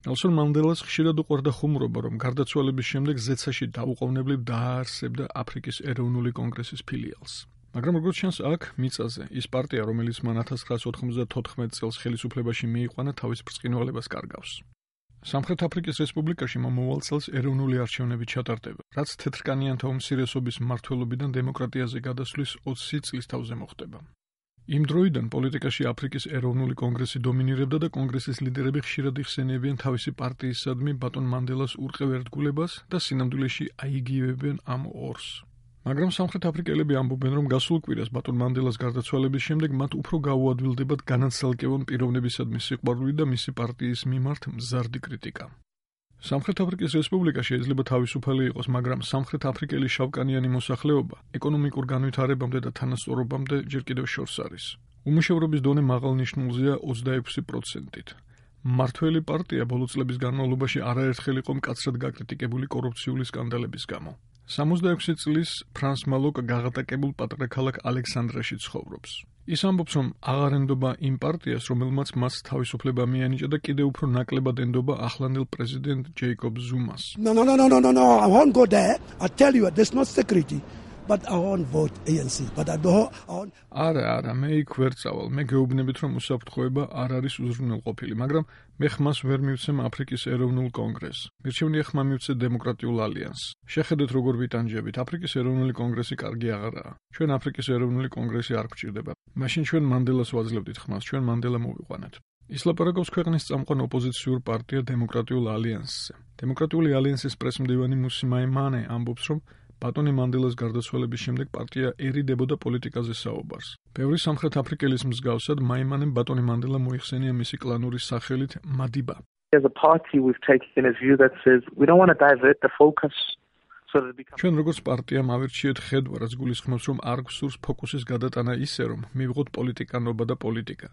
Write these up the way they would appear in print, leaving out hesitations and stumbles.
ნელსონ მანდელას ხშირად უყვარდა ხუმრობა, რომ გარდაცვალების შემდეგ ზეცაში დაუყოვნებლივ დააარსებდა აფრიკის ეროვნული კონგრესის ფილიალს. მაგრამ როგორც ჩანს აქ მიწაზე ის პარტია, რომელიც მან 1994 წელს ხელისუფლებაში მიიყვანა, თავის ბრწყინვალებას კარგავს. სამხრეთ აფრიკის რესპუბლიკაში მომავალ წელს ეროვნული არჩევნები ჩატარდება, რაც თეთრკანიანთა უმცირესობის მმართველობიდან დემოკრატიაზე გადასვლის 20 წლის თავზე მოხდება. იმ დროიდან პოლიტიკაში აფრიკის ეროვნული კონგრესი დომინირებდა და კონგრესის ლიდერები ხშირად იხსენიებიან თავისი პარტიისადმი ბატონ მანდელას ურყევ ერთგულებას და სინამდვილეში აიგივებენ ამ ორს. მაგრამ სამხრეთ აფრიკელები ამბობენ, რომ გასულ კვირას ბატონ მანდელას გარდაცვალების შემდეგ მათ უფრო გაუადვილდებათ განაცალკევონ პიროვნებისადმი სიყვარული და მისი პარტიის მიმართ მზარდი კრიტიკა. სამხრეთ აფრიკის რესპუბლიკა შეიძლება თავისუფალი იყოს, მაგრამ სამხრეთ აფრიკელი შავკანიანი მოსახლეობა ეკონომიკურ განვითარებამდე და თანასწორობამდე ჯერ კიდევ შორს არის. უმუშევრობის დონე მაღალ ნიშნულზეა 26%-ით. მმართველი პარტია ბოლო წლების განმავლობაში არაერთხელ იყო მკაცრად გაკრიტიკებული კორუფციული სკანდალების გამო. 66 წლის ფრანს მალოკ გაღატაკებულ პატარა ქალაქ ალექსანდრაში ცხოვრობს. ის ამბობს, რომ აღარ ენდობა იმ პარტიას, რომელმაც მას თავისუფლება მიანიჭა და კიდევ უფრო ნაკლებად ენდობა ახლანდელ პრეზიდენტ ჯეიკობ ზუმას. No, I won't go there. I tell you, there's no security. But I won't vote ANC. But I don't. არა, მე იქ ვერ წავალ. მე გეუბნებით, რომ უსაფრთხოება არ არის უზრუნველყოფილი, მაგრამ მე ხმას ვერ მივცემ აფრიკის ეროვნულ კონგრესს. მირჩევნია ხმა მივცე დემოკრატიულ ალიანსს. შეხედეთ, როგორ ვიტანჯებით. აფრიკის ეროვნული კონგრესი კარგი აღარაა. ჩვენ აფრიკის ეროვნული კონგრესი არ გვჭირდება. მაშინ ჩვენ მანდელას ვაძლევდით ხმას, ჩვენ მანდელა მოვიყვანეთ. ის ლაპარაკობს ქვეყნის წამყვან ოპოზიციურ პარტია დემოკრატიულ ალიანსზე. დემოკრატიული ალიანსის პრესმდივანი მუსი მაიმანე ამბობს, რომ ბატონი მანდელას გარდაცვალების შემდეგ პარტია ერიდებოდა პოლიტიკაზე საუბარს. ბევრი სამხრეთ აფრიკელის მსგავსად მაიმანემ ბატონი მანდელა მოიხსენია მისი კლანური სახელით მადიბა. As a party we've taken a view that says we don't want to divert the focus so that it becomes. ჩვენ როგორც პარტია მავირჩიეთ ხედვა, რაც გულისხმობს, რომ არ გვსურს ფოკუსის გადატანა ისე, რომ მივიღოთ პოლიტიკანობა და პოლიტიკა.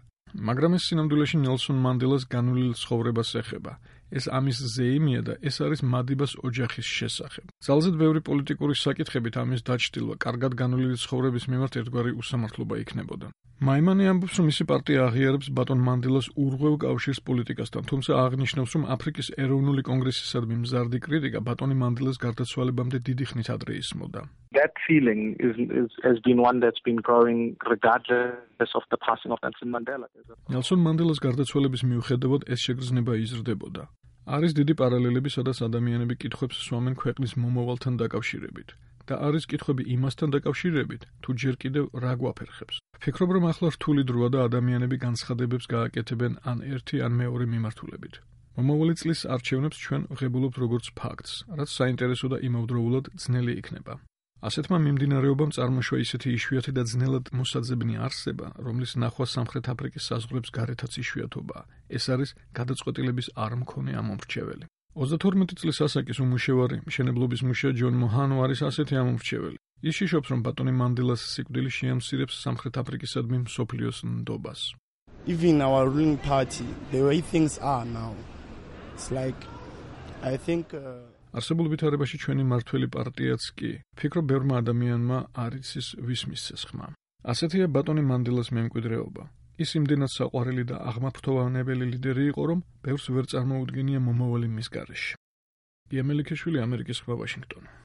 მაგრამ ეს სინამდვილეში ნელსონ მანდელას განვლილ ცხოვრებას ეხება. ეს ამის ზეიმია და ეს არის მადიბას ოჯახის შესახებ. ძალზედ ბევრი პოლიტიკური საკითხებით ამის დაჩრდილვა კარგად განვლილი ცხოვრების მიმართ ერთგვარი უსამართლობა იქნებოდა. მაიმანი ამბობს, რომ მისი პარტია აღიარებს ბატონ მანდელას ურღვევ კავშირს პოლიტიკასთან, თუმცა აღნიშნავს, რომ აფრიკის ეროვნული კონგრესისადმი მზარდი კრიტიკა ბატონი მანდელას გარდაცვალებამდე დიდი ხნით ადრე ისმოდა. That feeling has been one that's been growing regardless of the passing of Nelson Mandela. ნელსონ მანდელას გარდაცვალების მიუხედავად ეს შეგრძნება იზრდებოდა. არის დიდი პარალელები, სადაც ადამიანები კითხვებს სვამენ ქვეყნის მომავალთან დაკავშირებით და არის კითხვები იმასთან დაკავშირებით, თუ ჯერ კიდევ რა გვაფერხებს. ვფიქრობ, რომ ახლა რთული დროა და ადამიანები განცხადებებს გააკეთებენ ან ერთი ან მეორე მიმართულებით. მომავალი წლის არჩევნებს ჩვენ ვღებულობთ როგორც ფაქტს, რაც საინტერესო და იმავდროულად ძნელი იქნება. ასეთმა მიმდინარეობამ წარმოშვა ისეთი იშვიათი და ძნელად მოსაძებნი არსება, რომლის ნახვა სამხრეთ აფრიკის საზღვრებს გარეთაც იშვიათობაა. ეს არის გადაწყვეტილების არ მქონე ამომრჩეველი. 32 წლის ასაკის უმუშევარი მშენებლობის მუშა ჯონ მოჰანო არის ასეთი ამომრჩეველი. ის იშობს, რომ ბატონი მანდელას სიკვდილი შეამცირებს სამხრეთ აფრიკისადმი მსოფლიოს ნდობას. Even our ruling party, the way things are now, it's like I think არსებულ ვითარებაში ჩვენი მართველი პარტიაც კი, ვფიქრობ, ბევრმა ადამიანმა არ იცის ვის მისცეს ხმა. ასეთია ბატონი მანდელას მემკვიდრეობა. ის იმდენად საყვარელი და აღმაფრთოვანებელი ლიდერი იყო, რომ ბევრს ვერ წარმოუდგენია მომავალი მის გარეშე. გია მელიქიშვილი, ამერიკის ხმა, ვაშინგტონი.